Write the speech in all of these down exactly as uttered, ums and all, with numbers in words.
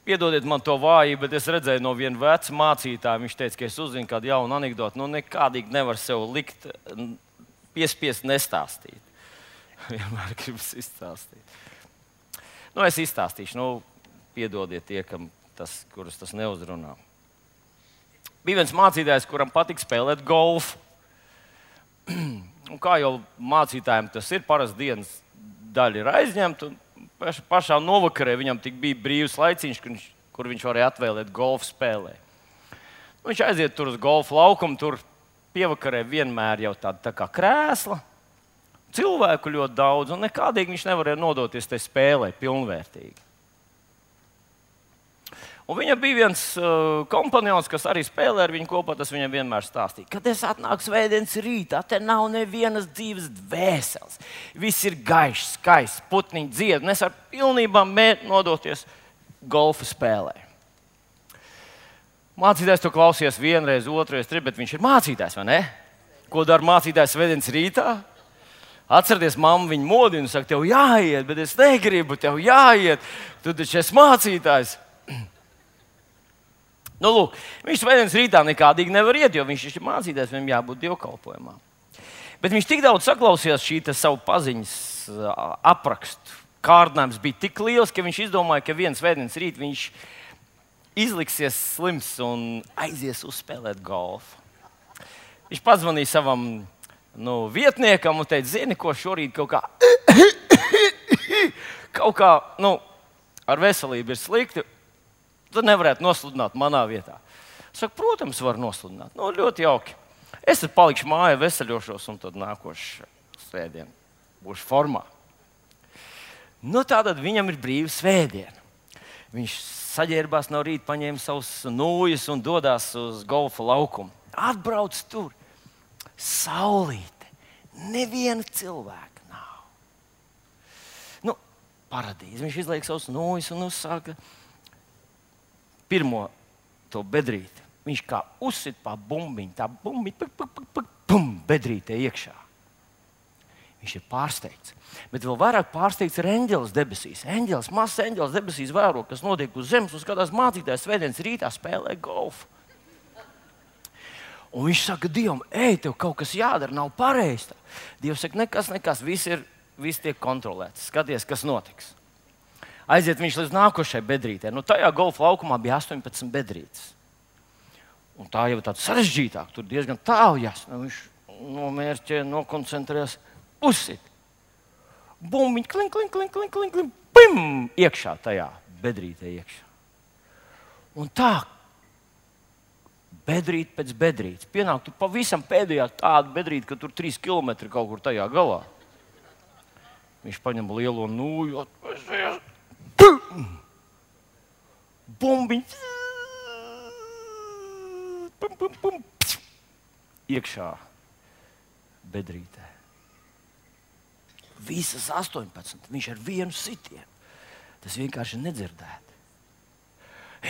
piedodiet man to vājību, bet es redzēju no viena veca mācītāja, viņš teica, ka es uzzinu kādu jaunu anekdoti, nu nekādīgi nevar sev likt, piespiest nestāstīt. Vienmēr gribas izstāstīt. Nu, es izstāstīšu, nu, piedodiet tie, kam tas, kurus tas neuzrunā. Bija viens mācītājs, kuram patīk spēlēt golfu. Un kā jau mācītājiem tas ir, parasti dienas daļa ir aizņemta, un pašā novakarē viņam tik bija brīvs laiciņš, kur viņš, kur viņš varēja atvēlēt golfu spēlē. Nu, viņš aiziet tur uz golfu laukumu, tur pievakarē vienmēr jau tāda tā kā krēsla, cilvēku ļoti daudz, un nekādīgi viņš nevarēja nodoties tai spēlē pilnvērtīgi. Un viņam bija viens uh, kompanjons, kas arī spēlē ar viņu kopā, tas viņam vienmēr stāstīja, kad es atnāku svētdienas rītā, te nav nevienas dzīves dvēseles. Viss ir gaišs, skaists, putniņi dzied, un es varu pilnībā nodoties golfa spēlē. Mācītājs to klausījās vienreiz, otrreiz, trīs, bet viņš ir mācītājs, vai ne? Ko dara mācītājs svētdienas rītā? Atcerieties, mamma viņu modina un saka, tev jāiet, bet es negribu, tev jāiet, tu taču esi mācītājs. Nu, lūk, viņš svētdienas rītā nekādīgi nevar iet, jo viņš ir mācītājs, viņam jābūt dievkalpojumā. Bet viņš tik daudz saklausījās šī savu paziņas aprakstu. Kārdinājums bija tik liels, ka viņš izdomāja, ka viens svētdienas rīt viņš izliksies slims un aizies uzspēlēt golfu. Viņš pazvanīja savam nu, vietniekam un teica, zini, ko šorīt kaut kā, kaut kā nu, ar veselību ir slikti. Tad nevarētu nosludināt manā vietā. Es saku, protams, var nosludināt. Nu, ļoti jauki. Es tad palikšu mājā, veseļošos, un tad nākošu svētdienu būšu formā. Nu, tātad viņam ir brīva svētdiena. Viņš saģērbās no rīta, paņēma savus nūjas un dodās uz golfa laukumu. Atbrauc tur. Saulīte. Neviena cilvēka nav. Nu, paradīze. Viņš izliek savus nūjas un uzsāka pirmo to bedrīti. Viņš kā uzsit pa bumbiņu, tā bumbiņa, pum, bedrītē iekšā. Viņš ir pārsteigts. Bet vēl vairāk pārsteigts ir eņģelis debesīs. Eņģelis, mazs eņģelis debesīs vēro, kas notiek uz zemes, un skatās mācītājs svētdienas rītā spēlē golfu. Un viņš saka Dievam, ej, tev kaut kas jādara, nav pareizi. Dievs saka, nekas, nekas, viss, ir, viss tiek kontrolēts. Skaties, kas notiks. Aiziet viņš līdz nākošai bedrītē. Nu, tajā golfa laukumā bija astoņpadsmit bedrītes. Un tā jau ir tāda sarežģītāka. Tur diezgan tālu jāsaka. Viņš nomērķē, nokoncentrēs, uzsit. Bumbiņ, klink, klink, klink, klink, klink, klink, pim! Iekšā tajā bedrītē iekšā. Un tā, bedrīt pēc bedrītes. Pienāk tur pavisam pēdējā tāda bedrīte, ka tur trīs kilometri kaut kur tajā galā. Viņš paņem lielo nūju, atpēsies. Bumbiņ. Pum, pum, pum. Iekšā bedrītē. Visas astoņpadsmit. Viņš ar vienu sitienu. Tas vienkārši nedzirdēti.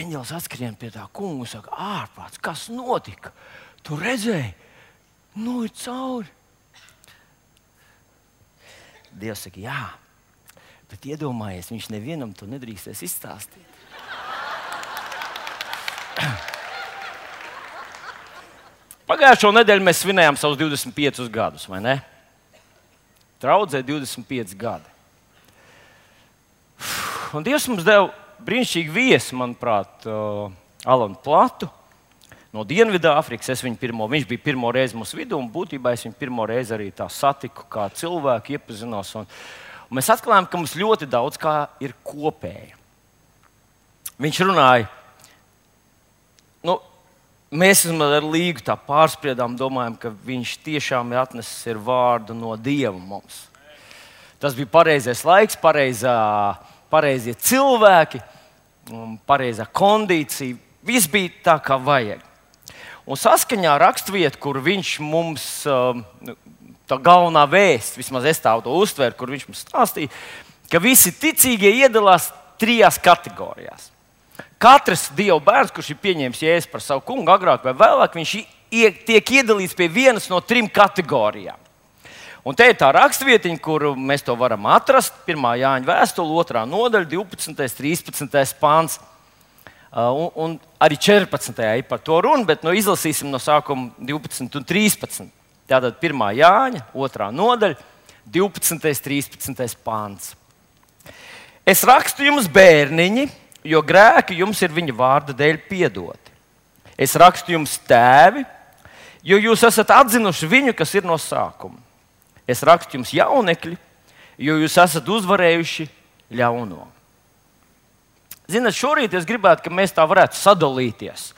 Eņģelis atskrien pie tā kunga un saka, ārprāts, kas notika? Tu redzēji? Nu ir cauri. Dievs saka, jā. Bet iedomājies, viņš nevienam to nedrīkstēs izstāstīt. Pagājušo nedēļu mēs svinējām savus divdesmit piecus gadus, vai ne? Draudzē divdesmit pieci gadi. Un Dievs mums deva brīnišķīgu viesi, manuprāt, uh, Alanu Platu no Dienvidāfrikas. Es viņu pirmo, viņš bija pirmo reizi mūsu vidū, un būtībā es viņu pirmo reizi arī tā satiku, kā cilvēku iepazinos. Un, un mēs atklājām, ka mums ļoti daudz kā ir kopēja. Viņš runāja, nu, mēs ar Līgu tā pārspriedām, domājam, ka viņš tiešām ir atnesis ir vārdu no Dieva mums. Tas bija pareizais laiks, pareizā, pareizie cilvēki, pareizā kondīcija. Viss bija tā, kā vajag. Un saskaņā ar raksturvietu, kur viņš mums, tā galvenā vēsts, vismaz es tā to uztveru, kur viņš mums stāstīja, ka visi ticīgie iedalās trijās kategorijās. Katrs Dieva bērns, kurš ir pieņēmis Jēzu par savu kungu, agrāk vai vēlāk, viņš tiek iedalīts pie vienas no trim kategorijām. Un te ir tā raksturvietiņa, kur mēs to varam atrast. pirmā Jāņa vēstule, otrā nodaļa, divpadsmitais, trīspadsmitais pāns. Un, un arī četrpadsmitajā ir par to runa, bet nu, izlasīsim no sākuma divpadsmit un trīspadsmit. Tātad pirmā Jāņa, otrā nodaļa, divpadsmitais, trīspadsmitais pāns. Es rakstu jums, bērniņi, jo grēki jums ir viņa vārda dēļ piedoti. Es rakstu jums, tēvi, jo jūs esat atzinuši viņu, kas ir no sākuma. Es rakstu jums, jaunekļi, jo jūs esat uzvarējuši ļauno. Ziniet, šorīt es gribētu, ka mēs tā varētu sadalīties.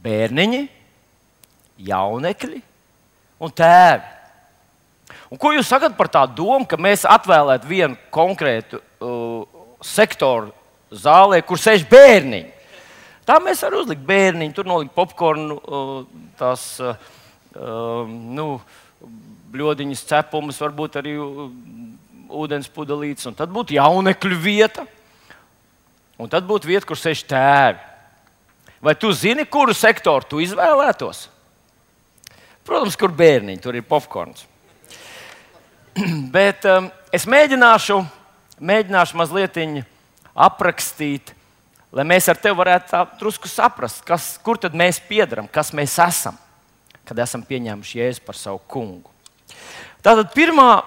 Bērniņi, jaunekļi un tēvi. Un ko jūs sakat par tādu domu, ka mēs atvēlētu vienu konkrētu uh, sektoru zālē, kur sēž bērniņi? Tā mēs varam uzlikt bērniņu, tur nolikt popkornu, uh, tās uh, uh, nu, bļodiņas cepumus, varbūt arī uh, ūdens pudelītes, un tad būtu jaunekļu vieta. Un tad būtu vieta, kur sēž tēvi. Vai tu zini, kuru sektoru tu izvēlētos? Protams, kur bērniņi, tur ir popkorns. Bet um, es mēģināšu, mēģināšu mazliet aprakstīt, lai mēs ar tevi varētu tā drusku saprast, kas, kur tad mēs piedaram, kas mēs esam, kad esam pieņēmuši Jēzu par savu kungu. Tātad pirmā,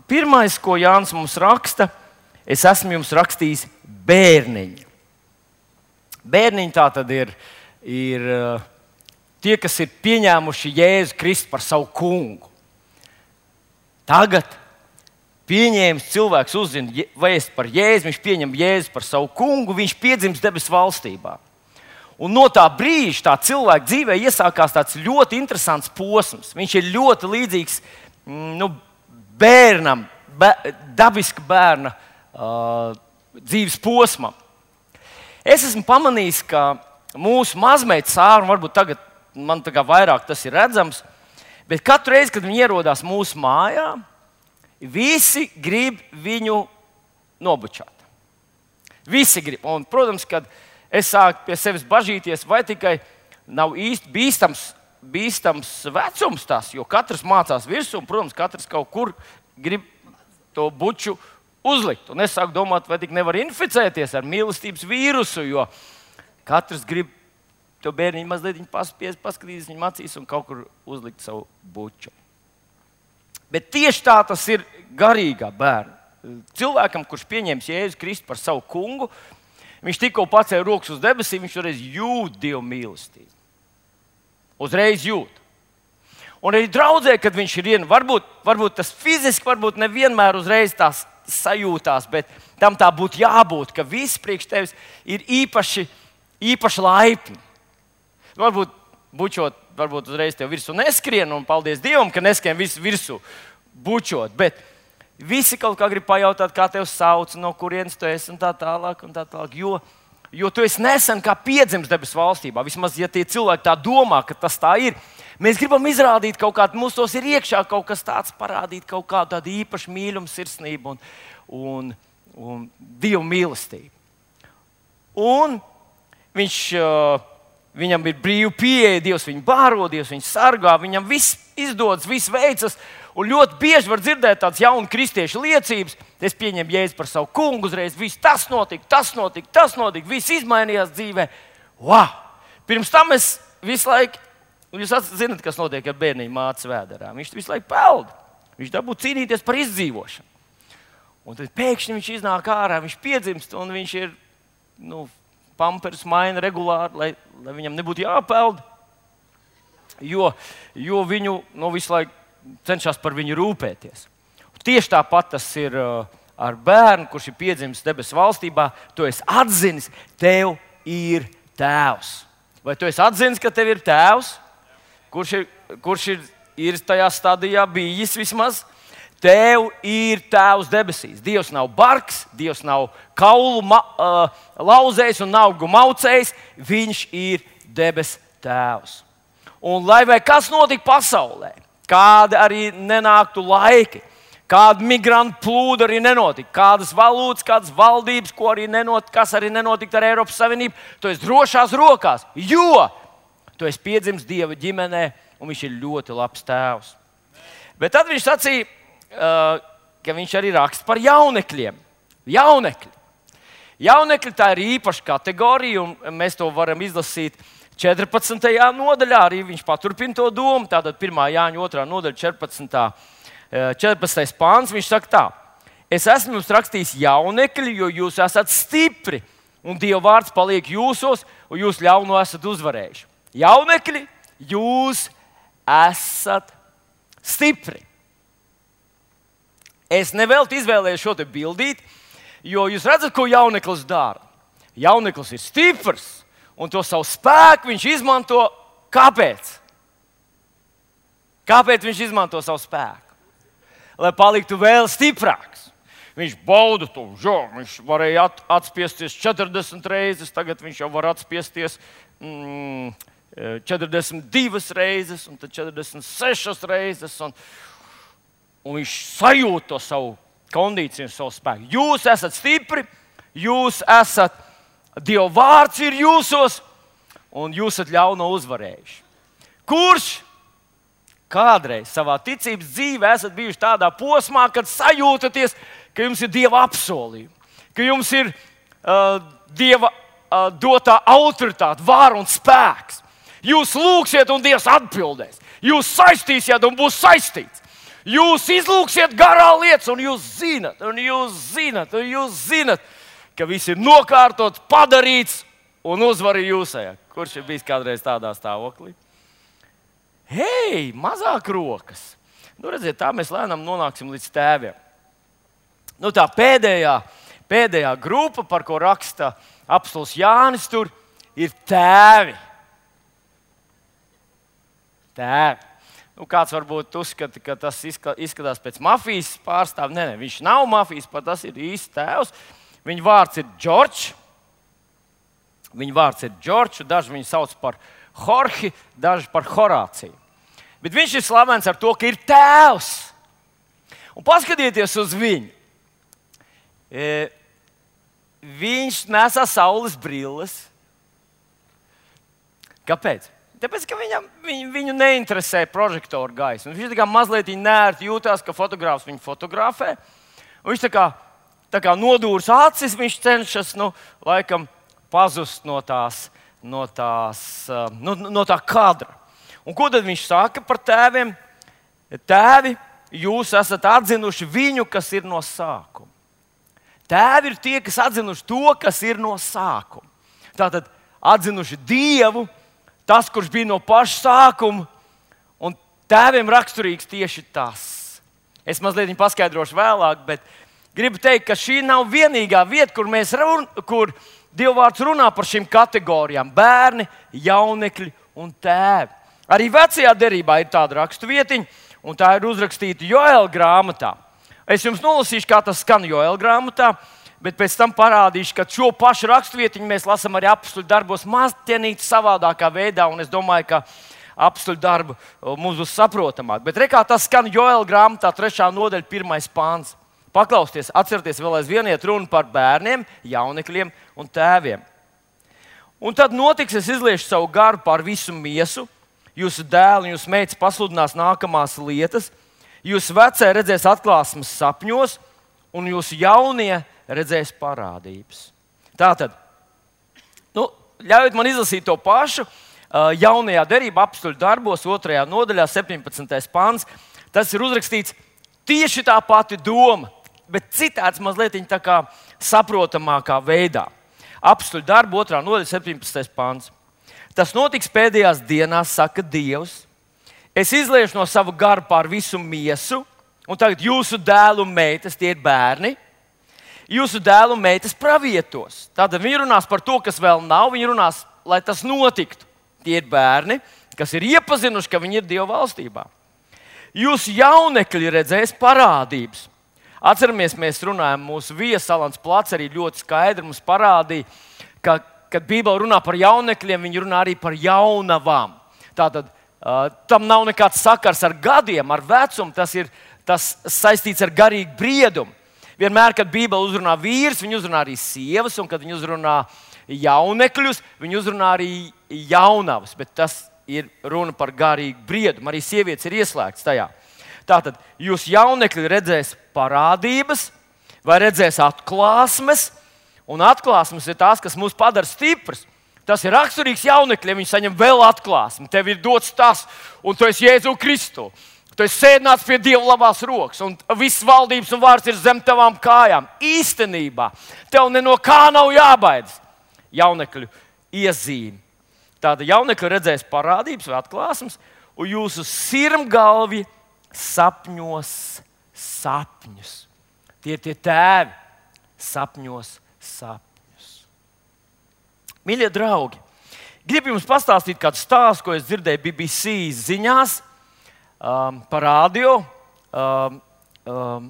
pirmais, ko Jānis mums raksta, es esmu jums rakstījis bērniņi. Bērniņi tā tad ir, ir tie, kas ir pieņēmuši Jēzu Kristu par savu kungu. Tagad pieņēmis cilvēks uzzina vēstu par Jēzu, viņš pieņem Jēzu par savu kungu, viņš piedzimst debesu valstībā. Un no tā brīža tā cilvēka dzīvē iesākās tāds ļoti interesants posms. Viņš ir ļoti līdzīgs nu, bērnam, bē, dabiska bērna uh, dzīves posmam. Es esmu pamanījis, ka mūsu mazmeita Sāra, varbūt tagad man tā kā vairāk tas ir redzams, bet katru reizi, kad viņi ierodās mūsu mājā, visi grib viņu nobučāt. Visi grib. Un, protams, kad es sāku pie sevis bažīties, vai tikai nav īsti bīstams, bīstams vecums tas, jo katrs mācās virsū, un, protams, katrs kaut kur grib to buču uzlikt. Un es sāku domāt, vai tik nevar inficēties ar mīlestības vīrusu, jo katrs grib to bērniņu mazliet paspies, paskatīties viņam acīs un kaut kur uzlikt savu buču. Bet tieši tā tas ir garīgā bērna. Cilvēkam, kurš pieņems Jēzu Kristu par savu kungu, viņš tikko pacēla rokas uz debesīm, viņš uzreiz jūt Dieva mīlestību. Uzreiz jūt. Un arī draudzē, kad viņš ir ien, varbūt, varbūt tas fiziski, varbūt nevienmēr uzreiz tās sajūtās, bet tam tā būtu jābūt, ka viss priekš tevis ir īpaši, īpaši laipni. Varbūt bučot, varbūt uzreiz tev virsū neskrien, un paldies Dievam, ka neskrien visu virsū bučot, bet visi kaut kā grib pajautāt, kā tev sauc, no kurienes tu esi un tā tālāk, un tā tālāk, jo, jo tu esi nesen kā piedzimis debesu valstībā. Vismaz, ja tie cilvēki tā domā, ka tas tā ir, mēs gribam izrādīt kaut kādu, mums tos ir iekšā kaut kas tāds, parādīt kaut kādu tādu īpašu mīlumu, sirsnību un, un, un Dievu mīlestību. Un viņš, viņam ir brīva pieeja, Dievs viņu bāro, Dievs viņu sargā, viņam viss izdodas, viss veicas. Un ļoti bieži var dzirdēt tādas jaunu kristiešu liecības. Es pieņemu Jēzu par savu kungu, uzreiz viss tas notika, tas notika, tas notika, viss izmainījās dzīvē. Wow! Pirms tam es visu laiku, jūs zināt, kas notiek ar bērniņu mātes vēderā. Viņš visu laiku peld. Viņš dabū cīnīties par izdzīvošanu. Un tad pēkšņi viņš iznāk ārā, viņš piedzimst un viņš ir, nu, pampers maina regulāri, lai, lai viņam nebūtu jāpeld. Jo, jo viņu nu, visu laiku cenšas par viņu rūpēties. Tieši tāpat tas ir uh, ar bērnu, kurš ir piedzimis debesu valstībā. Tu esi atzinis, tev ir tēvs. Vai tu esi atzinis, ka tev ir tēvs, kurš ir, kurš ir, ir tajā stadijā bijis vismaz? Tev ir tēvs debesīs. Dievs nav bargs, Dievs nav kaulu ma, uh, lauzējs un naugu maucējs. Viņš ir debesu tēvs. Un lai vai kas notika pasaulē, kādi arī nenāktu laiki, kāda migrantu plūda arī nenotika, kādas valūtas, kādas valdības, ko arī nenotika, kas arī nenotika ar Eiropas Savienību, tu esi drošās rokās, jo tu esi piedzimis Dieva ģimenē un viņš ir ļoti labs tēvs. Bet tad viņš sacīja, ka viņš arī raksta par jaunekļiem. Jaunekļi. Jaunekļi tā ir īpaša kategorija, un mēs to varam izlasīt četrpadsmitajā nodaļā. Arī viņš paturpina to domu. Tātad pirmā Jāņa otrā nodaļa, četrpadsmitais pāns. Viņš saka tā: es esmu jums rakstījis jaunekļi, jo jūs esat stipri, un Dieva vārds paliek jūsos, un jūs ļauno esat uzvarējuši. Jaunekļi, jūs esat stipri. Es nevelti izvēlējos šo te bildīt, jo jūs redzat, ko jauneklis dara. Jauneklis ir stiprs, un to savu spēku viņš izmanto. Kāpēc? Kāpēc viņš izmanto savu spēku? Lai paliktu vēl stiprāks. Viņš bauda to, jo viņš varēja at, atspiesties četrdesmit reizes, tagad viņš jau var atspiesties mm, četrdesmit divas reizes, un tad četrdesmit sešas reizes. Un, un viņš sajūt to savu kondīciju, savu spēku. Jūs esat stipri, jūs esat, Dieva vārds ir jūsos, un jūs esat ļauno uzvarējuši. Kurš kādreiz savā ticības dzīvē esat bijuši tādā posmā, kad sajūtaties, ka jums ir Dieva apsolījumi, ka jums ir uh, Dieva uh, dotā autoritāte, vara un spēks. Jūs lūgsiet, un Dievs atbildēs. Jūs saistīsiet, un būs saistīts. Jūs izlūgsiet garā lietas, un jūs zinat, un jūs zinat, un jūs zinat, ka viss ir nokārtots, padarīts, un uzvar ir jūsējā. Kurš ir bijis kādreiz tādā stāvoklī? Hei, mazāk rokas. Nu, redziet, tā mēs lēnām nonāksim līdz tēviem. Nu, tā pēdējā, pēdējā grupa, par ko raksta apostols Jānis, tur ir tēvi. Tēvi. Nu, kāds varbūt uzskata, ka tas izskatās pēc mafijas pārstāvja. Nē, nē, viņš nav mafijas, pat tas ir īsts tēvs. Viņa vārds ir Džordžs. Viņa vārds ir Džordžs, daži viņu sauc par Jorhi, daži par Horāciju. Bet viņš ir slavens ar to, ka ir tēvs. Un paskatieties uz viņu. E, viņš nesā saules brilles. Kāpēc? Tāpēc, ka viņam, viņu, viņu neinteresē prožektoru gaisma. Viņš tā kā mazliet nērti jūtās, ka fotogrāfs viņu fotografē. Un viņš tā kā, tā kā nodūrs acis, viņš cenšas, nu, laikam, pazust no tās, no tās, no, no tā kadra. Un ko tad viņš saka par tēviem? Tēvi, jūs esat atzinuši viņu, kas ir no sākuma. Tēvi ir tie, kas atzinuši to, kas ir no sākuma. Tātad atzinuši Dievu, tas, kurš bija no paša sākuma, un tēviem raksturīgs tieši tas. Es mazliet viņu paskaidrošu vēlāk, bet gribu teikt, ka šī nav vienīgā vieta, kur, mēs run, kur Dieva vārds runā par šīm kategorijām - bērni, jaunekļi un tēvi. Arī vecajā derībā ir tāda raksturvietiņa, un tā ir uzrakstīta Joēla grāmatā. Es jums nolasīšu, kā tas skan Joēla grāmatā, bet pēc tam parādīšu, ka šo pašu raksturvietiņu mēs lasām arī apstuļu darbos mazliet savādākā veidā, un es domāju, ka apstuļu darbu mums būs saprotamāk. Bet re, kā tas skan Joēla grāmatā, trešā nodaļa, pirmais pāns. Paklausieties, atcerieties, vēl aizvien iet runa par bērniem, jaunekļiem un tēviem. Un tad notiks, es izliešu savu garu pār visu miesu, jūsu dēli un jūsu meitas pasludinās nākamās lietas, jūsu vecie redzēs atklāsmes sapņos, un jūsu jaunie redzēs parādības. Tātad, nu, ļaujiet man izlasīt to pašu. Jaunajā derībā apstuļu darbos, otrajā nodaļā, septiņpadsmitais pāns. Tas ir uzrakstīts tieši tā pati doma, bet citāds mazliet tā kā saprotamākā veidā. Apstuļu darbu, otrā nodaļa, septiņpadsmitais pāns. Tas notiks pēdējās dienās, saka Dievs. Es izliešu no sava gara pār visu miesu, un tagad jūsu dēlu un meitas, tie ir bērni, jūsu dēlu un meitas pravietos. Tātad viņi runās par to, kas vēl nav, viņi runās, lai tas notiktu. Tie ir bērni, kas ir iepazinuši, ka viņi ir Dieva valstībā. Jūsu jaunekļi redzēs parādības. Atceramies, mēs runājam, mūsu viesis Alans Plats arī ļoti skaidri mums parādīja, ka, kad Bībele runā par jaunekļiem, viņi runā arī par jaunavām. Tātad uh, tam nav nekāds sakars ar gadiem, ar vecumu, tas ir tas saistīts ar garīgu briedumu. Vienmēr, kad Bībele uzrunā vīrus, viņi uzrunā arī sievas, un kad viņi uzrunā jaunekļus, viņi uzrunā arī jaunavas, bet tas ir runa par garīgu briedumu. Arī sievietes ir ieslēgts tajā. Tātad jūs jaunekļi redzēs parādības vai redzēs atklāsmes, Un atklāsmes ir tās, kas mūs padara stiprus. Tas ir raksturīgs jaunekļiem. Viņi saņem vēl atklāsmi. Tev ir dots tas, un tu esi Jēzu Kristu. Tu esi sēdināts pie Dieva labās rokas, un visas valdības un vārds ir zem tavām kājām. Īstenībā tev ne no kā nav jābaidās. Jaunekļu iezīme. Tāda jaunekļa redzēs parādības vai atklāsmes, un jūsu sirmgalvi sapņos sapņus. Tie ir tie tēvi, sapņos sapņus. Mīļie draugi, gribu jums pastāstīt kādu stāstu, ko es dzirdēju B B C ziņās um, par radio. Um, um,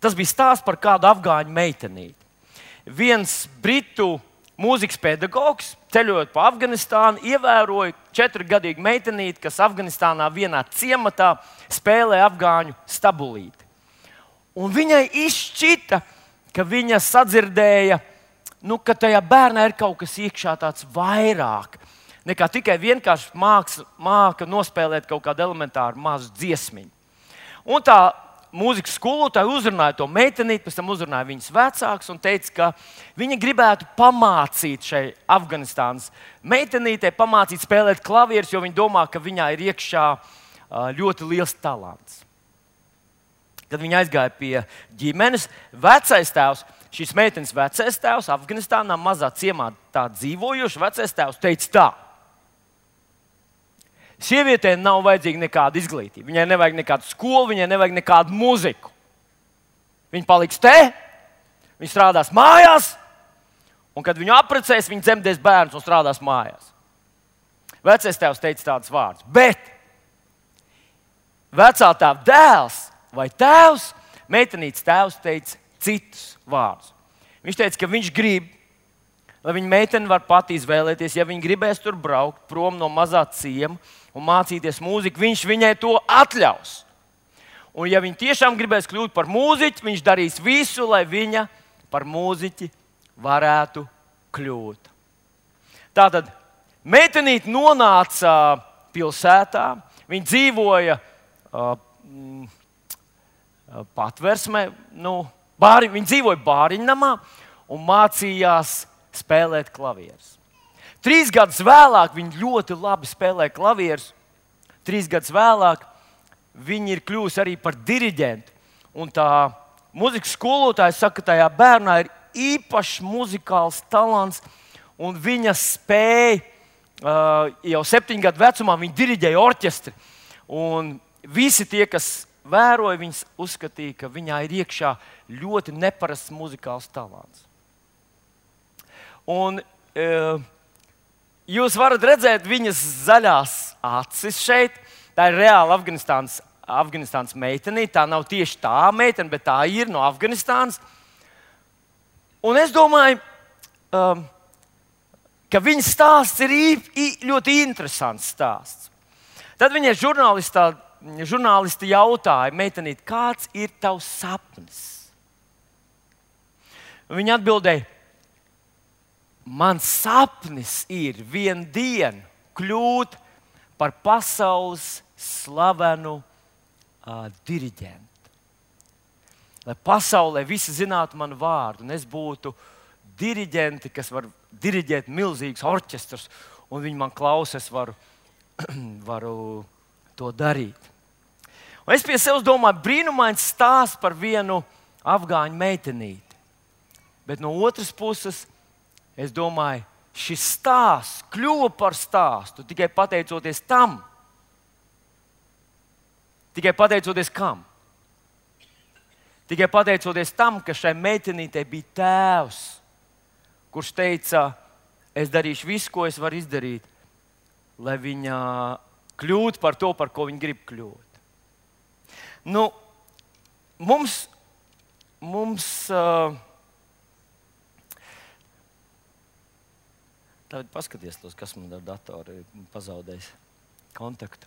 tas bija stāsts par kādu afgāņu meitenīti. Viens britu mūzikas pedagogs, ceļojot pa Afganistānu, ievēroja četrgadīgu meitenīti, kas Afganistānā vienā ciematā spēlē afgāņu stabulīti. Un viņai izšķita, ka viņa sadzirdēja, nu, ka tajā bērnā ir kaut kas iekšā tāds vairāk nekā tikai vienkārši māks, māka nospēlēt kaut kādu elementāru mazu dziesmiņu. Un tā mūzikas skolotāja uzrunāja to meitenīti, pēc tam uzrunāja viņas vecākus un teica, ka viņa gribētu pamācīt šai Afganistānas meitenītei, pamācīt spēlēt klavierus, jo viņa domā, ka viņā ir iekšā ļoti liels talants. Kad viņa aizgāja pie ģimenes, vecais tēvs, šīs meitenes vecais tēvs, Afganistānā mazā ciemā tā dzīvojošs vecais tēvs teica tā: sievietei nav vajadzīga nekāda izglītība, viņai nevajag nekādu skolu, viņai nevajag nekādu mūziku. Viņa paliks te, viņa strādās mājās, un kad viņu apprecēs, viņa dzemdēs bērnus un strādās mājās. Vecais tēvs teica tādus vārdus, bet vecā tēva dēls vai tēvs, meitenītes tēvs teica citus vārdus. Viņš teica, ka viņš grib, lai viņa meitene var pati izvēlēties, ja viņa gribēs tur braukt prom no mazā ciema un mācīties mūziku, viņš viņai to atļaus. Un ja viņa tiešām gribēs kļūt par mūziķi, viņš darīs visu, lai viņa par mūziķi varētu kļūt. Tātad meitenīte nonāca pilsētā, viņa dzīvoja uh, patversmē, nu, bāri, viņa dzīvoja bāriņnamā un mācījās spēlēt klavierus. Trīs gadus vēlāk viņa ļoti labi spēlē klavierus. Trīs gadus vēlāk viņa ir kļuvusi arī par diriģentu. Un tā mūzikas skolotāja saka, ka tajā bērnā ir īpašs muzikāls talants, un viņa spēja uh, jau septiņu gadu vecumā viņa diriģēja orķestri. Un visi tie, kas vēroja, viņas uzskatīja, ka viņā ir iekšā ļoti neparasts muzikāls talants. Un e, jūs varat redzēt viņas zaļās acis šeit. Tā ir reāla Afganistānas, Afganistānas meitenīte. Tā nav tieši tā meitene, bet tā ir no Afganistānas. Un es domāju, um, ka viņas stāsts ir ī, ļoti interesants stāsts. Tad viņai žurnālistā Žurnālisti jautāja meitenīti, kāds ir tavs sapnis? Viņa atbildēja, mans sapnis ir vienu dienu kļūt par pasaules slavenu uh, diriģentu. Lai pasaulē visi zinātu manu vārdu, un es būtu diriģenti, kas var diriģēt milzīgus orķestrus, un viņi man klausa, es varu, varu to darīt. Un es pie sevis domāju, brīnumains stāsts par vienu afgāņu meitenīti. Bet no otras puses, es domāju, šis stāsts kļuva par stāstu tikai pateicoties tam. Tikai pateicoties kam? Tikai pateicoties tam, ka šai meitenītei bija tēvs, kurš teica, es darīšu visu, ko es varu izdarīt, lai viņa kļūtu par to, par ko viņa grib kļūt. Nu, mums, mums uh, tagad paskaties tos, kas man ar datoru ir pazaudējis kontaktu.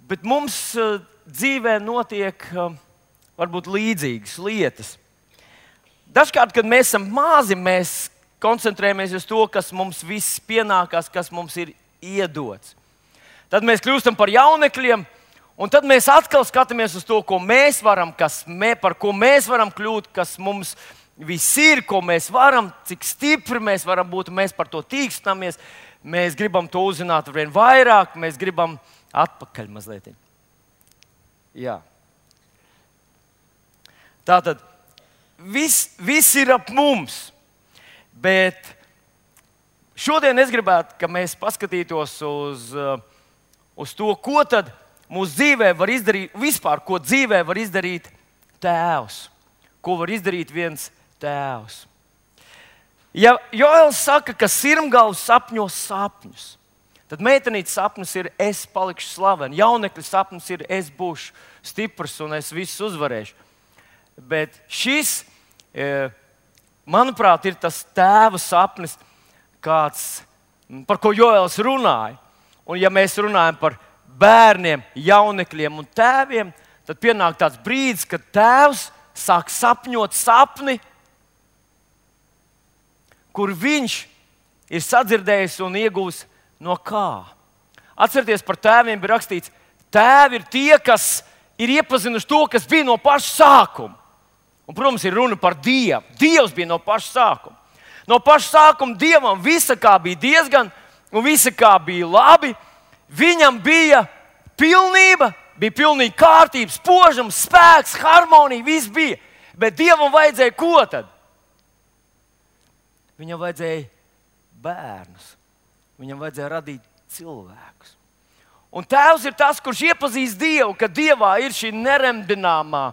Bet mums uh, dzīvē notiek uh, varbūt līdzīgas lietas. Dažkārt, kad mēs esam mazi, mēs koncentrējamies uz to, kas mums viss pienākās, kas mums ir iedots. Tad mēs kļūstam par jaunekļiem. Un tad mēs atkal skatāmies uz to, ko mēs varam, kas mē, par ko mēs varam kļūt, kas mums viss ir, ko mēs varam, cik stipri mēs varam būt, mēs par to tīkstamies. Mēs gribam to uzzināt vien vairāk, mēs gribam atpakaļ mazliet. Jā. Tātad viss, viss ir ap mums, bet šodien es gribētu, ka mēs paskatītos uz, uz to, ko tad mūsu dzīvē var izdarīt, vispār, ko dzīvē var izdarīt Tēvs, ko var izdarīt viens Tēvs. Ja Joēls saka, ka sirmgalvs sapņo sapņus, tad meitenītes sapnis ir es palikšu slavena, jaunekļa sapnis ir es būšu stiprs un es visus uzvarēšu. Bet šis, manuprāt, ir tas tēva sapnis, kāds, par ko Joēls runāja. Un ja mēs runājam par bērniem, jaunekļiem un tēviem, tad pienāk tāds brīdis, kad tēvs sāk sapņot sapni, kur viņš ir sadzirdējis un iegūs no kā. Atcerieties, par tēviem bija rakstīts, tēvi ir tie, kas ir iepazinuši to, kas bija no paša sākuma. Un, protams, ir runa par Dievu. Dievs bija no paša sākuma. No paša sākuma Dievam visa kā bija diezgan, un visa kā bija labi. Viņam bija pilnība, bija pilnīga kārtība, spožums, spēks, harmonija, viss bija. Bet Dievam vajadzēja ko tad? Viņam vajadzēja bērnus. Viņam vajadzēja radīt cilvēkus. Un Tēvs ir tas, kurš iepazīst Dievu, ka Dievā ir šī neremdināmā,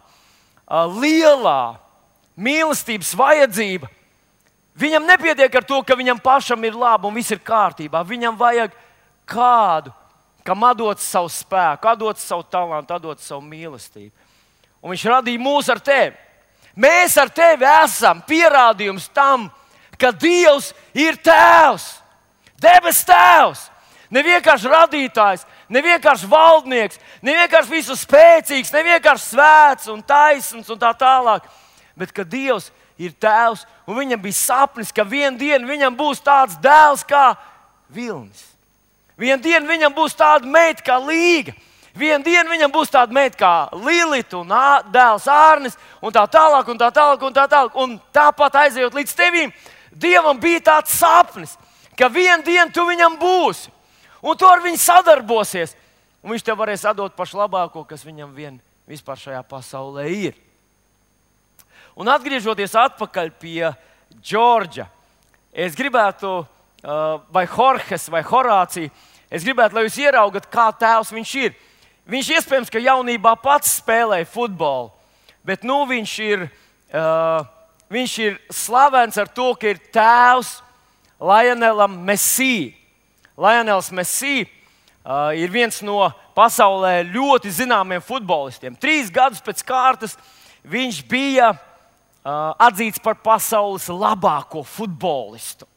lielā mīlestības vajadzība. Viņam nepietiek ar to, ka viņam pašam ir labi un viss ir kārtībā. Viņam vajag kādu, kam atdot savu spēku, atdot savu talantu, atdot savu mīlestību. Un viņš radīja mūs ar tevi. Mēs ar tevi esam pierādījums tam, ka Dievs ir Tēvs, debes Tēvs, ne vienkārši radītājs, ne vienkārši valdnieks, ne vienkārši visu spēcīgs, ne vienkārši svēts un taisns un tā tālāk, bet ka Dievs ir Tēvs un viņam bija sapnis, ka vienu dienu viņam būs tāds dēls kā Vilnis. Vienu dienu viņam būs tāda meita kā Līga. Vienu dienu viņam būs tāda meita kā Lilita un dēls Ārnis un tā tālāk un tā tālāk un tā tālāk. Un tāpat aizejot līdz tevīm, Dievam bija tāds sapnis, ka vienu dienu tu viņam būsi, un tu ar viņu sadarbosies, un viņš tev varēs atdot pašu labāko, kas viņam vien vispār šajā pasaulē ir. Un atgriežoties atpakaļ pie Džordža, es gribētu, vai Horhes, vai Horācija, es gribētu, lai jūs ieraugat, kā tēvs viņš ir. Viņš iespējams, ka jaunībā pats spēlēja futbolu, bet nu viņš ir... Uh, Viņš ir slavens ar to, ka ir tēvs Lionelam Messi. Lionels Messi uh, ir viens no pasaulē ļoti zināmiem futbolistiem. Trīs gadus pēc kārtas viņš bija uh, atzīts par pasaules labāko futbolistu.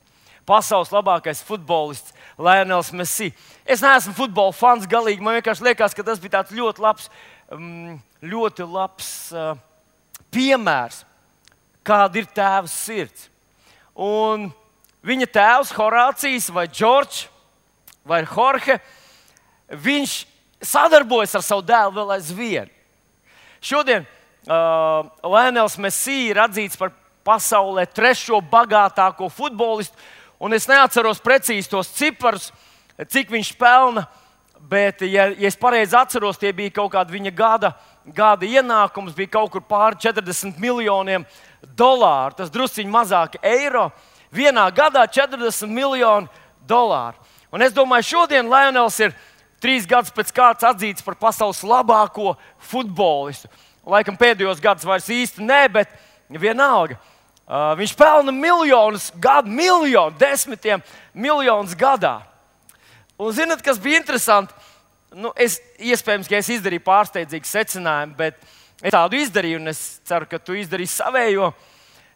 Pasaules labākais futbolists Lionels Messi. Es neesmu futbola fans galīgi. Man vienkārši liekas, ka tas bija tāds ļoti labs, um, ļoti labs uh, piemērs. Kāda ir tēva sirds. Un viņa tēvs, Horācijs, vai Džordžs, vai Jorge, viņš sadarbojas ar savu dēlu vēl aizvien. Šodien uh, Lionels Messi ir atzīts par pasaulē trešo bagātāko futbolistu, un es neatceros precīzi tos ciparus, cik viņš pelna, bet, ja, ja es pareizi atceros, tie bija kaut kāda viņa gada, gada ienākums, bija kaut kur pāri četrdesmit miljoniem dolāru, tas drusciņi mazāk eiro, vienā gadā četrdesmit miljoni dolāru. Un es domāju, šodien Lionels ir trīs gadus pēc kārtas atzīts par pasaules labāko futbolistu. Laikam pēdējos gadus vairs īsti nē, bet vienalga. Uh, viņš pelna miljonus gadu, miljonu, desmitiem miljonus gadā. Un zināt, kas bija interesanti? Nu, es, iespējams, ka es izdarīju pārsteidzīgu secinājumu, bet es tādu izdarīju, un es ceru, ka tu izdarīsi savējo.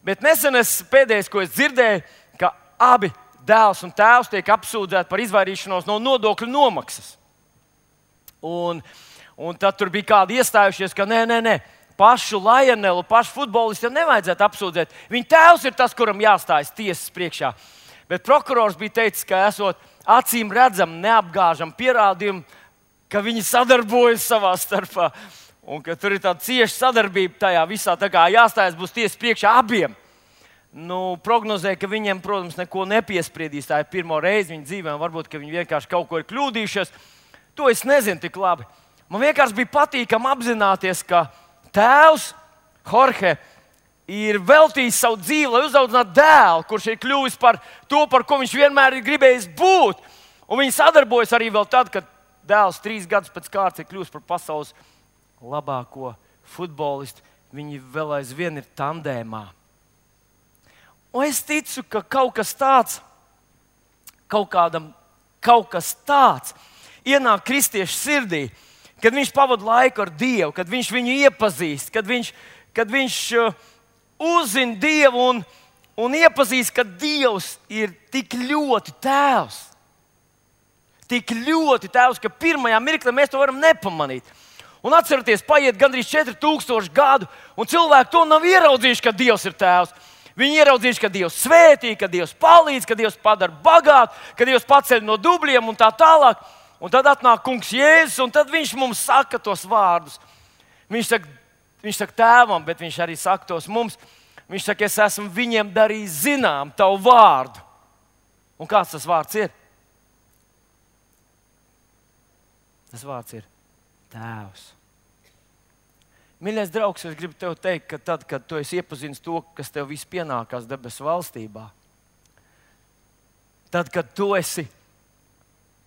Bet nesen es pēdējais, ko es dzirdēju, ka abi dēls un tēvs tiek apsūdzēti par izvairīšanos no nodokļu nomaksas. Un, un tad tur bija kādi iestājušies, ka nē, nē, nē, pašu Lionelu, pašu futbolistu jau nevajadzētu apsūdzēt. Viņa tēvs ir tas, kuram jāstājas tiesas priekšā. Bet prokurors bija teicis, ka esot acīm redzam, neapgāžam pierādījumu, ka viņi sadarbojas savā starpā. Un ka tur ir tāda cieša sadarbība tajā visā, tā kā jāstājas būs tiesas priekšā abiem. nu, prognozē, ka viņiem, protams, neko nepiespriedīs. Tā ir pirmo reizi viņu dzīvē, un varbūt viņi vienkārši kaut ko ir kļūdījušies. To es nezinu tik labi. Man vienkārši bija patīkami apzināties, ka tēvs Jorge ir veltījis savu dzīvi, lai uzaudzinātu dēlu, kurš ir kļuvis par to, par ko viņš vienmēr ir gribējis būt. Un viņi sadarbojas arī vēl tad, kad dēls trīs gadus pēc kārtas ir kļuvis par pasaules labāko futbolistu. Viņi vēl aizvien ir tandēmā. Un es ticu, ka kaut kas tāds, kaut, kādam, kaut kas tāds ienāk kristiešu sirdī, kad viņš pavada laiku ar Dievu, kad viņš viņu iepazīst, kad viņš, kad viņš uh, uzzina Dievu un, un iepazīst, ka Dievs ir tik ļoti tēvs. Tik ļoti tēvs, ka pirmajā mirklī mēs to varam nepamanīt. Un atcerieties, paiet gandrīz četri tūkstoši gadu, un cilvēki to nav ieraudzījuši, ka Dievs ir tēvs. Viņi ieraudzījuši, ka Dievs svētī, ka Dievs palīdz, ka Dievs padara bagātu, ka Dievs paceļ no dubļiem un tā tālāk. Un tad atnāk kungs Jēzus, un tad viņš mums saka tos vārdus. Viņš saka, viņš saka tēvam, bet viņš arī saka tos mums. Viņš saka, es esmu viņiem darījis zinām tavu vārdu. Un kāds tas vārds ir? Tas vārds ir Tēvs. Mīļais draugs, es gribu tev teikt, ka tad, kad tu esi iepazinis to, kas tev viss pienākās debesu valstībā, tad, kad tu esi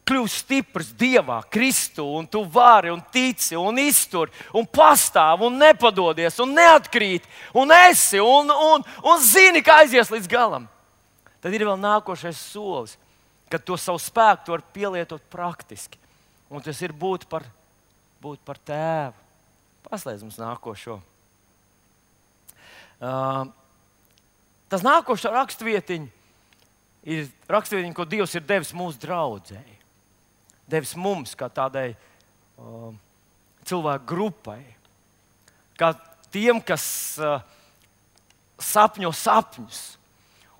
kļuvis stiprs Dievā, Kristū, un tu vari un tici un iztur un pastāv un nepadodies un neatkrīt un esi un, un, un zini, ka aizies līdz galam, tad ir vēl nākošais solis, kad to savu spēku tu vari pielietot praktiski. Un tas ir būt par, būt par tēvu. Paslēdz mums nākošo. Uh, tas nākošais rakstvietiņš ir rakstvietiņš, ko Dievs ir devis mūsu draudzēji. Devis mums, kā tādai uh, cilvēku grupai. Kā tiem, kas uh, sapņo sapņus.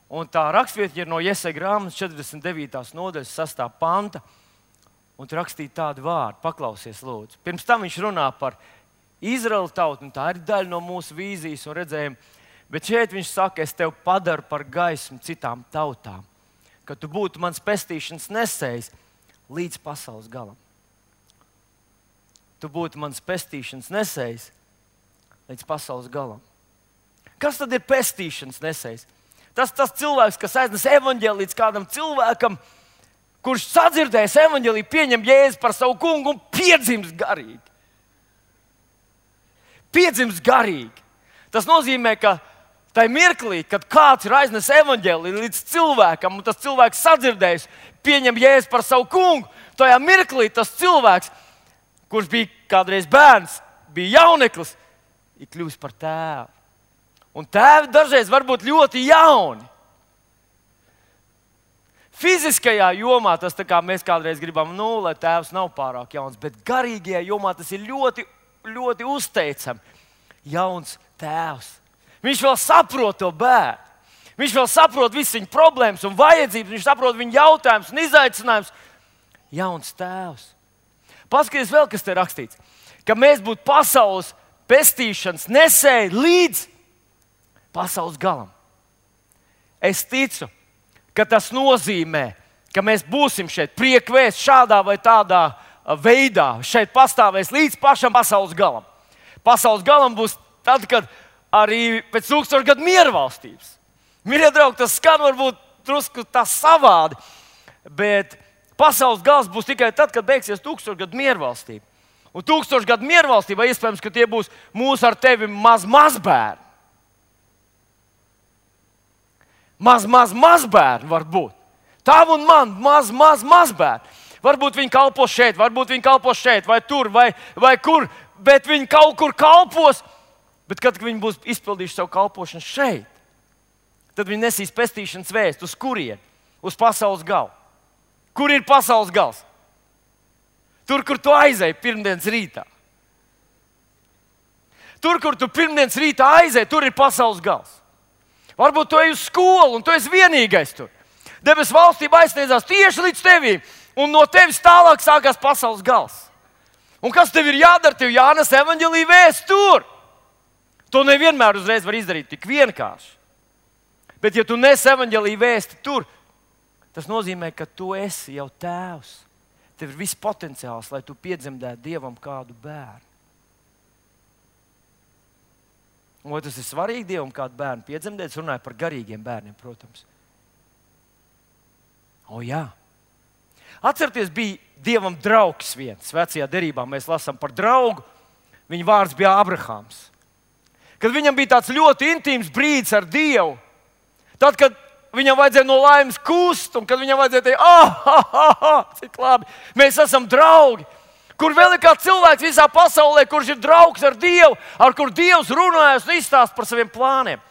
Un tā rakstvietiņa ir no Jesaja grāmatas četrdesmit devītās nodaļas sastā panta. Un tur rakstīja tādu vārdu, paklausies, lūdzu. Pirms tam viņš runā par Izraēlu tautu, un tā ir daļa no mūsu vīzijas un redzējuma. Bet šeit viņš saka, es tevi padaru par gaismu citām tautām, ka tu būtu mans pestīšanas nesējs līdz pasaules galam. Tu būtu mans pestīšanas nesējs līdz pasaules galam. Kas tad ir pestīšanas nesējs? Tas tas cilvēks, kas aiznes evaņģēliju līdz kādam cilvēkam, kurš sadzirdējis evaņģēliju, pieņem Jēzu par savu kungu un piedzimst garīgi. Piedzimst garīgi. Tas nozīmē, ka tajā mirklī, kad kāds ir aiznes evaņģēliju līdz cilvēkam, un tas cilvēks sadzirdējis, pieņem Jēzu par savu kungu, tajā mirklī tas cilvēks, kurš bija kādreiz bērns, bija jauneklis, ir kļuvis par tēvu. Un tēvi dažreiz var būt ļoti jauni. Fiziskajā jomā tas tā kā mēs kādreiz gribam, nu, lai tēvs nav pārāk jauns, bet garīgajā jomā tas ir ļoti, ļoti uzteicami. Jauns tēvs. Viņš vēl saprot to bērnu. Viņš vēl saprot visas viņa problēmas un vajadzības, viņš saprot viņa jautājumus un izaicinājumus. Jauns tēvs. Paskaties vēl, kas te rakstīts. Ka mēs būtu pasaules pestīšanas nesēji līdz pasaules galam. Es ticu, ka tas nozīmē, ka mēs būsim šeit priekvēst šādā vai tādā veidā. Šeit pastāvēs līdz pašam pasaules galam. Pasaules galam būs tad, kad arī pēc tūkstošu gadu miervalstības. Mīļie draugi, tas skan varbūt drusku tā savādi, bet pasaules gals būs tikai tad, kad beigsies tūkstošu gadu miervalstība. Un tūkstošu gadu miervalstībā iespējams, ka tie būs mūsu ar tevi maz mazbērni. Maz, maz, mazbērni var būt. Tav un man maz, maz, mazbērni. Varbūt viņi kalpo šeit, varbūt viņi kalpo šeit, vai tur, vai, vai kur, bet viņi kaut kur kalpos. Bet kad viņi būs izpildījuši savu kalpošanu šeit, tad viņi nesīs pestīšanas vēstu. Uz kurieni? Uz pasaules galu. Kur ir pasaules gals? Tur, kur tu aizēji pirmdienas rītā. Tur, kur tu pirmdienas rītā aizēji, tur ir pasaules gals. Varbūt tu ej uz skolu un tu esi vienīgais tur. Debesu valstība aizsniedzās tieši līdz tevīm, un no tevis tālāk sākās pasaules gals. Un kas tev ir jādara? Tev jānes evaņģēlija vēsts tur. To nevienmēr uzreiz var izdarīt tik vienkārši. Bet ja tu nes evaņģēlija vēsti tur, tas nozīmē, ka tu esi jau tēvs. Tev ir viss potenciāls, lai tu piedzemdētu Dievam kādu bērnu. Un vai tas ir svarīgi Dievam kādu bērnu piedzemdēt? Es runāju par garīgiem bērniem, protams. O jā. Atcerieties, bija Dievam draugs viens. Vecajā derībā mēs lasām par draugu. Viņa vārds bija Abrahams. Kad viņam bija tāds ļoti intīms brīdis ar Dievu, tad, kad viņam vajadzēja no laimes kust, un kad viņam vajadzēja teikt, ah, ah, ah, ah, cik labi, mēs esam draugi. Kur vēl ir kāds cilvēks visā pasaulē, kurš ir draugs ar Dievu, ar kur Dievs runājas un izstāsta par saviem plāniem.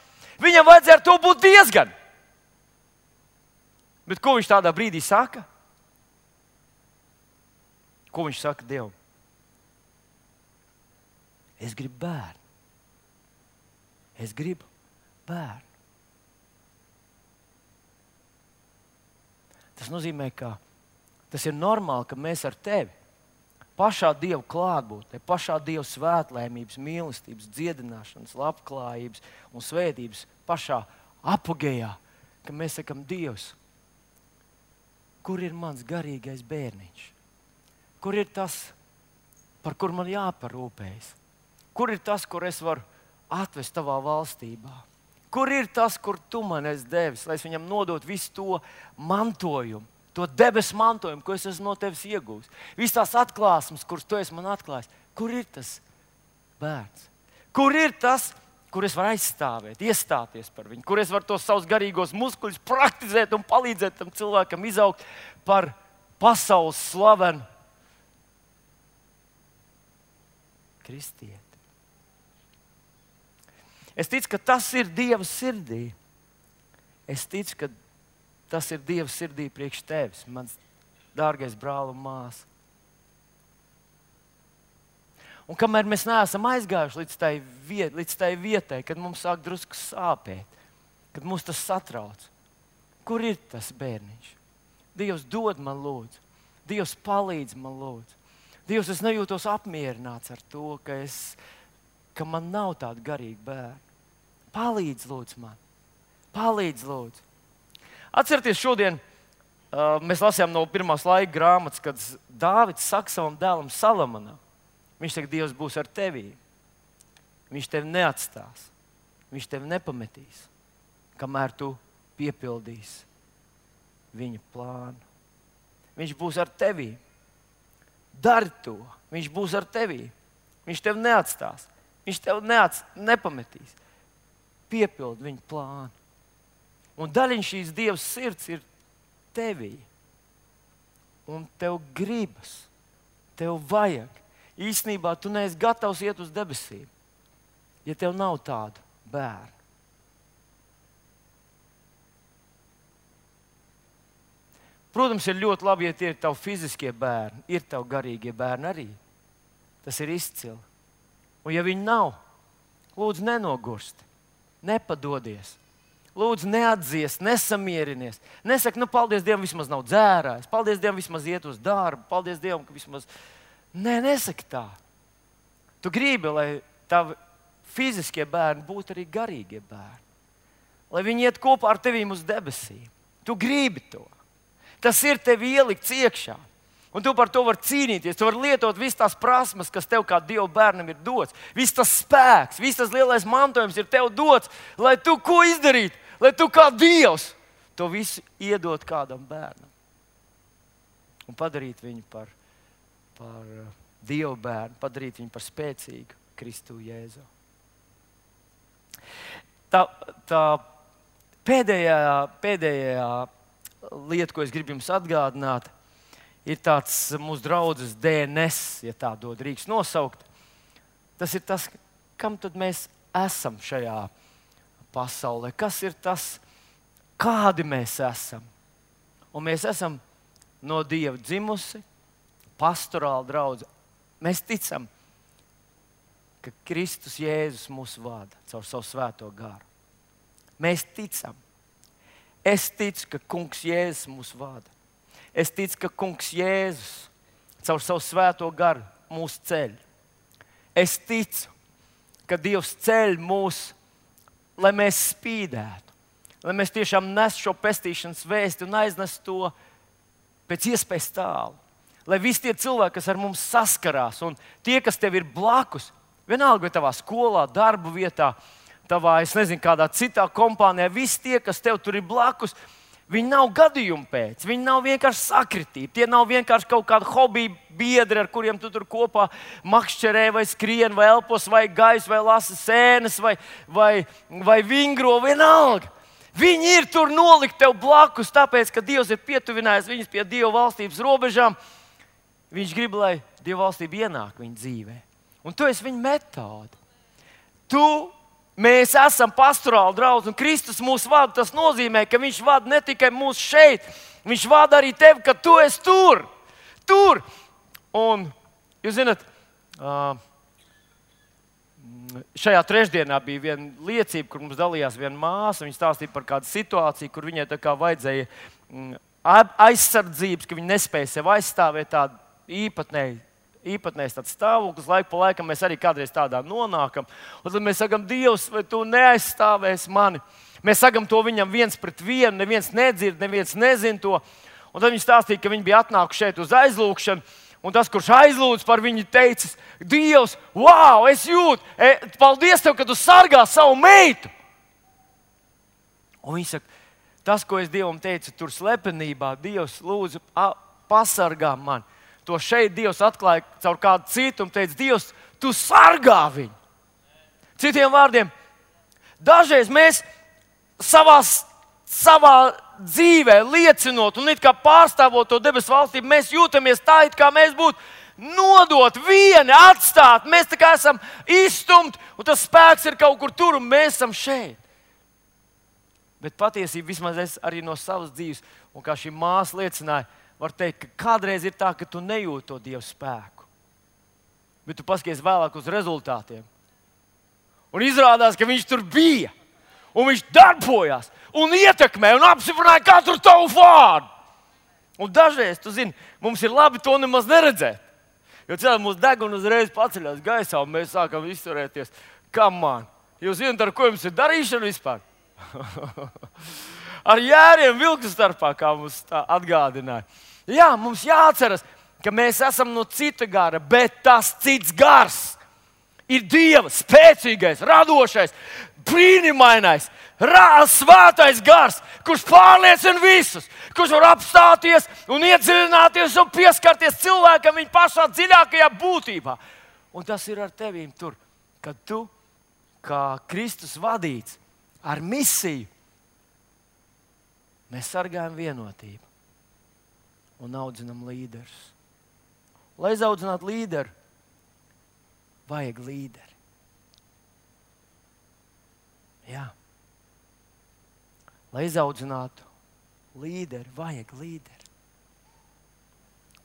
Viņam vajadzēja ar to būt diezgan. Bet ko viņš tādā brīdī saka? Ko viņš saka Dievam? Es gribu bērnu. Es gribu bērnu. Tas nozīmē, ka tas ir normāli, ka mēs ar tevi pašā Dieva klātbūtnē, pašā Dieva svētlēmības, mīlestības, dziedināšanas, labklājības un svētības pašā apogejā, ka mēs sakam, Dievs, kur ir mans garīgais bērniņš? Kur ir tas, par kur man jāparūpējas? Kur ir tas, kur es varu atvest tavā valstībā? Kur ir tas, kur tu man esi devis, lai es viņam nodot visu to mantojumu, to debesu mantojumu, ko es esmu no tevis iegūs? Visas tās atklāsmes, kuras tu esi man atklājis. Kur ir tas bērns? Kur ir tas, kur es varu aizstāvēt, iestāties par viņu? Kur es varu tos savus garīgos muskuļus praktizēt un palīdzēt tam cilvēkam izaugt par pasaules slavenu kristieti? Es ticu, ka tas ir Dieva sirdī. Es ticu, ka tas ir Dieva sirdī priekš tevis, mans dārgais brāl un māsa. Un kamēr mēs neesam aizgājuši līdz tai, viet, līdz tai vietai, kad mums sāk drusku sāpēt, kad mums tas satrauc, kur ir tas bērniņš? Dievs dod man lūdzu. Dievs palīdz man lūdzu. Dievs, es nejūtos apmierināts ar to, ka, es, ka man nav tāda garīga bērna. Palīdz lūdzu man. Palīdz lūdzu. Atcerieties, šodien uh, mēs lasījām no pirmās laika grāmatas, kad Dāvids saka savam dēlam Salamonam. Viņš saka, Dievs būs ar tevi. Viņš tevi neatstās. Viņš tevi nepametīs, kamēr tu piepildīsi viņa plānu. Viņš būs ar tevi. Dari to. Viņš būs ar tevi. Viņš tevi neatstās. Viņš tevi neats, nepametīs. Piepild viņa plānu. Un daļiņa šīs Dieva sirds ir tevī. Un tev gribas. Tev vajag. Īstenībā tu neesi gatavs iet uz debesīm, ja tev nav tādu bērnu. Protams, ir ļoti labi, ja tie ir tavi fiziskie bērni, ir tavi garīgie bērni arī. Tas ir izcili. Un ja viņi nav, lūdzu nenogursti, nepadodies. Lūdzu neatdzies, nesamierinies. Nesaki, nu paldies Dievam, vismaz nav dzērājis. Paldies Dievam, vismaz iet uz darbu. Paldies Dievam, ka vismaz... Nē, nesaki tā. Tu gribi, lai tavi fiziskie bērni būtu arī garīgie bērni. Lai viņi iet kopā ar tevīm uz debesīm. Tu gribi to. Tas ir tev ielikts iekšā. Un tu par to vari cīnīties. Tu vari lietot visas tās prasmes, kas tev kā Dieva bērnam ir dots. Viss tas spēks, viss tas lielais mantojums ir tev dots, lai tu ko izdarītu, lai tu kā Dievs to visu iedot kādam bērnam. Un padarīt viņu par par Dievu bērnu, padarīt viņu par spēcīgu Kristu Jēzu. Tā, tā pēdējā, pēdējā lieta, ko es gribu jums atgādināt, ir tāds mūsu draudzes D N S, ja tā dod rīks nosaukt. Tas ir tas, kam tad mēs esam šajā pasaulē. Kas ir tas, kādi mēs esam? Un mēs esam no Dieva dzimusi, pastorāla draudze. Mēs ticam, ka Kristus Jēzus mūs vada caur savu svēto garu. Mēs ticam. Es ticu, ka Kungs Jēzus mūs vada. Es ticu, ka Kungs Jēzus caur savu svēto garu mūs ceļ. Es ticu, ka Dievs ceļ mūs, lai mēs spīdētu, lai mēs tiešām nesu šo pestīšanas vēsti un aiznesu to pēc iespējas tālu. Lai visi tie cilvēki, kas ar mums saskarās, un tie, kas tev ir blakus, vienalga vai tavā skolā, darba vietā, tavā, es nezinu, kādā citā kompānijā, visi tie, kas tev tur ir blakus, viņi nav gadījumu pēc, viņi nav vienkārši sakritīti. Tie nav vienkārši kaut kādi hobiju biedri, ar kuriem tu tur kopā makšķerē, vai skrien, vai elpos, vai gais, vai lasa sēnes, vai, vai, vai vingro, vienalga. Viņi ir tur nolikt tev blakus, tāpēc, ka Dievs ir pietuvinājis viņus pie Dieva valstības robežām. Viņš grib, lai Dieva valstība ienāk viņa dzīvē. Un tu esi viņa metode. Tu Mēs esam pastorāli draudz, un Kristus mūs vada. Tas nozīmē, ka Viņš vada ne tikai mūs šeit, Viņš vada arī tevi, ka tu esi tur. Tur. Un, jūs zināt, šajā trešdienā bija viena liecība, kur mums dalījās viena māsa. Viņa stāstīja par kādu situāciju, kur viņai tā kā vajadzēja aizsardzības, ka viņa nespēja sev aizstāvēt tādu īpatnēju. Īpatnējs tāds stāvoklis, laiku pa laikam mēs arī kādreiz tādā nonākam. Un tad mēs sakām, Dievs, vai tu neaizstāvēsi mani? Mēs sakām to viņam viens pret vienu, neviens nedzird, neviens nezina to. Un tad viņi stāstīja, ka viņi bija atnākuši šeit uz aizlūgšanu, un tas, kurš aizlūdz par viņu, teicis, Dievs, wow, es jūtu, e, paldies tev, ka tu sargā savu meitu. Un viņi saka, tas, ko es Dievam teicu, tur slepenībā, Dievs, lūdzu, pasargā mani. To šeit Dievs atklāja caur kādu citu un teica, Dievs, tu sargā viņu. Citiem vārdiem, dažreiz mēs savā, savā dzīvē liecinot un it kā pārstāvot to debesu valstību, mēs jūtamies tā, it kā mēs būtu nodot vieni, atstāt. Mēs tā kā esam izstumti un tas spēks ir kaut kur tur un mēs esam šeit. Bet patiesībā vismaz es arī no savas dzīves, un kā šī māsa liecināja, var teikt, ka kādreiz ir tā, ka tu nejūti to Dieva spēku. Bet tu paskaties vēlāk uz rezultātiem. Un izrādās, ka Viņš tur bija. Un Viņš darbojās. Un ietekmē. Un apstiprināja katru tavu vārdu. Un dažreiz, tu zini, mums ir labi to nemaz neredzēt. Jo cilvēki mūsu deguna uzreiz paceļās gaisā. Un mēs sākam izturēties. Kam man? Jūs zināt, ar ko jums ir darīšana vispār? Ar jēriem vilku starpā, kā mums tā atgādināja. Jā, mums jāatceras, ka mēs esam no cita gara, bet tas cits gars ir Dieva spēcīgais, radošais, brīnumainais, svētais gars, kurš pārliecina visus, kurš var apstāties un iedziļināties un pieskarties cilvēkam viņa pašā dziļākajā būtībā. Un tas ir ar tevīm tur, kad tu, kā Kristus vadīts, ar misiju, mēs sargājam vienotību un audzinam līderus. Lai izaudzinātu līderu, vajag līderi. Jā. Lai izaudzinātu līderi, vajag līderi.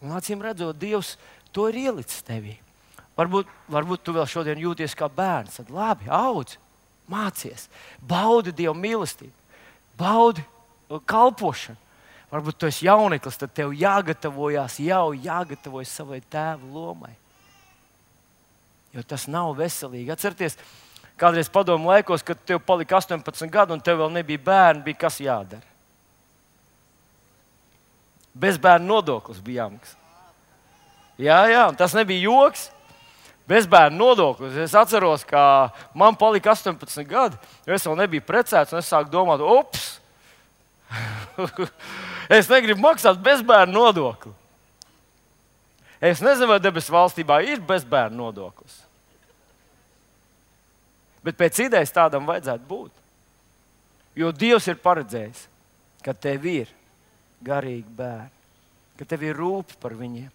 Un acīm redzot, Dievs to ir ielicis tevī. Varbūt, varbūt tu vēl šodien jūties kā bērns. Tad labi, audzi, mācies, baudi Dieva mīlestību, baudi kalpošanu. Varbūt tu esi jauneklis, tad tev jāgatavojās, jau jāgatavojas savai tēva lomai. Jo tas nav veselīgi. Atcerieties, kādreiz padomu laikos, kad tev palika astoņpadsmit gadi un tev vēl nebija bērni, bija kas jādara. Bezbērnu nodoklis bija jāmaksā. Jā, jā, un tas nebija joks. Bezbērnu nodoklis. Es atceros, ka man palika astoņpadsmit gadi, jo es vēl nebiju precēts, un es sāku domāt, ups! Es negribu maksāt bezbērnu nodokli. Es nezinu, vai debesu valstībā ir bezbērnu nodoklis. Bet pēc idejas tādam vajadzētu būt. Jo Dievs ir paredzējis, ka tev ir garīgi bērni, ka tev ir rūp par viņiem.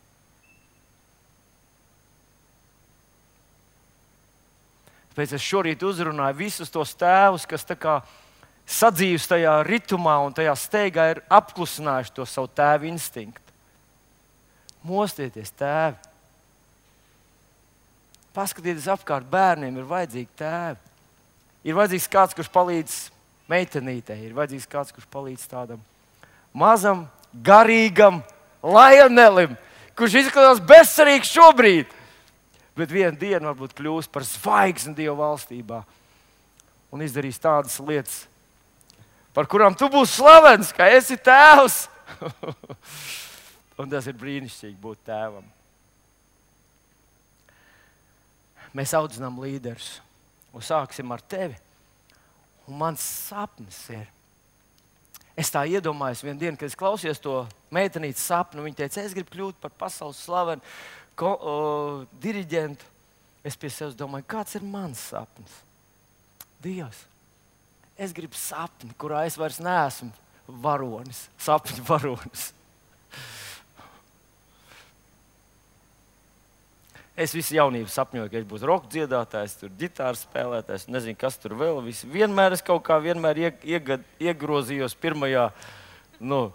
Tāpēc es šorīt uzrunāju visus tos tēvus, kas tā kā sadzīvs tajā ritumā un tajā steigā ir apklusinājuši to savu tēvu instinktu. Mostieties, tēvi. Paskatieties apkārt, bērniem ir vajadzīgi tēvi. Ir vajadzīgs kāds, kurš palīdz meitenītei, ir vajadzīgs kāds, kurš palīdz tādam mazam, garīgam lajonelim, kurš izskatās bezcerīgs šobrīd, bet vienu dienu varbūt kļūs par zvaigzni Dieva valstībā un izdarīs tādas lietas, par kurām tu būsi slavens, ka esi tēvs. Un tas ir brīnišķīgi būt tēvam. Mēs audzinām līderus. Un sāksim ar tevi. Un mans sapnis ir. Es tā iedomājos vienu dienu, kad es klausījos to meitenītes sapnu. Viņa teica, es gribu kļūt par pasaules slavenu ko, o, diriģentu. Es pie sevis domāju, kāds ir mans sapnis? Dievs, es gribu sapni, kurā es vairs neesmu varonis, sapņu varonis. Es visu jaunību sapņoju, ka es būšu roka dziedātājs, tur ģitāras spēlētājs, nezinu, kas tur vēl. Visu. Vienmēr es kaut kā vienmēr iegad, iegrozījos pirmajā, nu,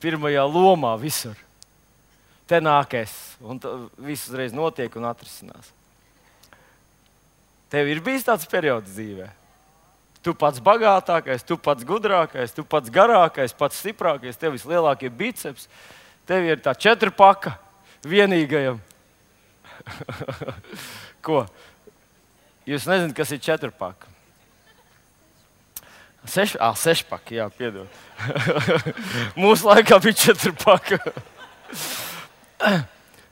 pirmajā lomā visur. Te nāk es, un viss uzreiz notiek un atrisinās. Tev ir bijis tāds periods dzīvē? Tu pats bagātākais, tu pats gudrākais, tu pats garākais, pats stiprākais, tev vislielākie biceps, tev ir tā četrpaka vienīgajam. Ko? Jūs nezināt, kas ir četrpaka? Seš, ah, sešpaka, jā, piedod. Mūsu laikā bija četrpaka.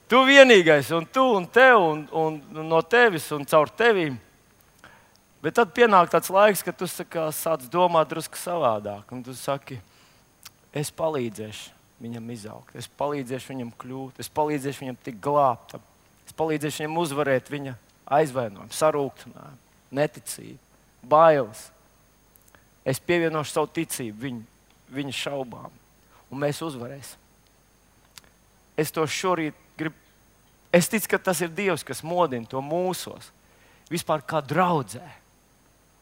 Tu vienīgais, un tu, un tev, un, un no tevis, un caur tevīm. Bet tad pienāk tāds laiks, kad tu saka, sāc domāt drusku savādāk. Un tu saki, es palīdzēšu viņam izaugt, es palīdzēšu viņam kļūt, es palīdzēšu viņam tikt glābtam. Es palīdzēšu viņam uzvarēt viņa aizvainojumu, sarūktinājumu, neticību, bailes. Es pievienošu savu ticību viņu, viņa šaubām, un mēs uzvarēsim. Es to šorīt gribu. Es ticu, ka tas ir Dievs, kas modina to mūsos. Vispār kā draudzē,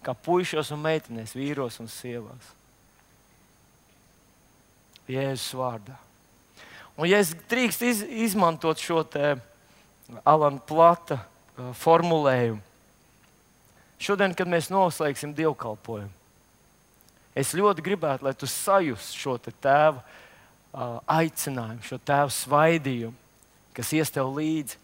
kā puišos un meitenēs, vīros un sievās. Jēzus vārdā. Un ja es drīkst iz, izmantot šo te Alana Plata uh, formulējumu. Šodien, kad mēs noslēgsim dievkalpojumu, es ļoti gribētu, lai tu sajust šo te tēva uh, aicinājumu, šo tēva svaidījumu, kas ies tev līdzi.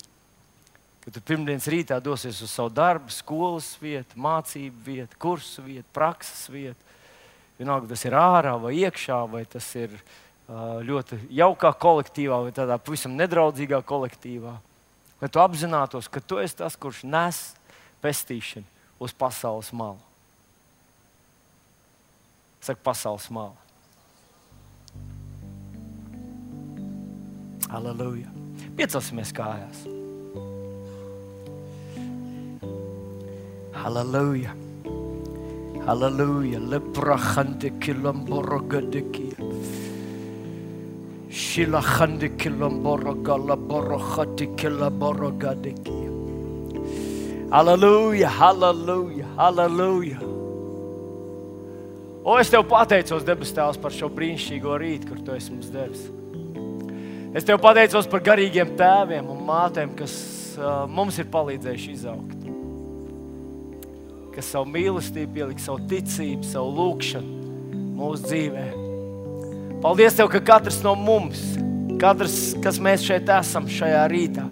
Kad tu pirmdienas rītā dosies uz savu darbu, skolas vietu, mācību vietu, kursu vietu, prakses vietu. Vienalga, tas ir ārā vai iekšā, vai tas ir uh, ļoti jaukā kolektīvā, vai tādā pavisam nedraudzīgā kolektīvā. Lai tu apzinātos, ka tu esi tas, kurš nes pestīšanu uz pasaules malu. Saka, pasaules malu. Halleluja. Piecelsimies kājās. Halleluja. Halleluja. Lebrahante kilamborogadekia. Shilahande kilamboroga borokhati kilaborogadekia. Halleluja, halleluja, halleluja. O, es tev pateicos, debes Tēvs, par šo brīnišķīgo rītu, kur tu esi mums devis. Es tev pateicos par garīgiem tēviem un mātēm, kas uh, mums ir palīdzējuši izaugt. Kas savu mīlestību pielika, savu ticību, savu lūgšanu mūsu dzīvē. Paldies Tev, ka katrs no mums, katrs, kas mēs šeit esam šajā rītā,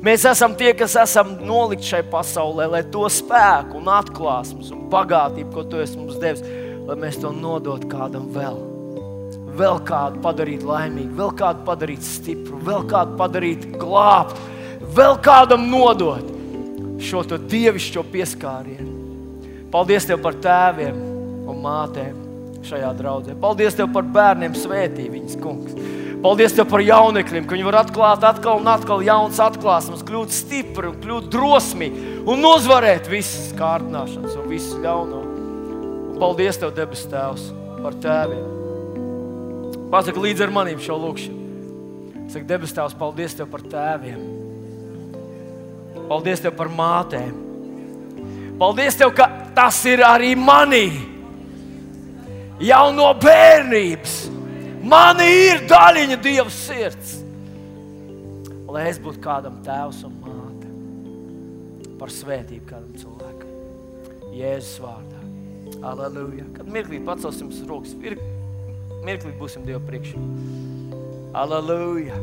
mēs esam tie, kas esam nolikt šai pasaulē, lai to spēku un atklāsmes un bagātību, ko Tu esi mums devis, lai mēs to nodot kādam vēl. Vēl kādu padarīt laimīgu, vēl kādu padarīt stipru, vēl kādu padarīt glābt, vēl kādam nodot šo to dievišķo pieskārienu. Paldies Tev par tēviem un mātēm šajā draudzē. Paldies Tev par bērniem, svētī viņas, kungs. Paldies Tev par jaunekļiem, ka viņi var atklāt atkal un atkal jaunas atklāsmes, kļūt stipri un kļūt drosmīgi un uzvarēt visas kārtināšanas un visu ļauno. Un paldies Tev, debes Tēvs, par tēviem. Pasaka līdz ar manīm šo lūkšanu. Saka, debes Tēvs, paldies Tev par tēviem. Paldies Tev par mātēm. Paldies Tev, ka tas ir arī manī. Jau no bērnības. Mani ir daļiņa Dieva sirds. Lai es būtu kādam tēvs un māte. Par svētību kādam cilvēkam. Jēzus vārdā. Halleluja. Kad mirklīt pacelsim rokas, mirklīt būsim Dieva priekšā. Halleluja.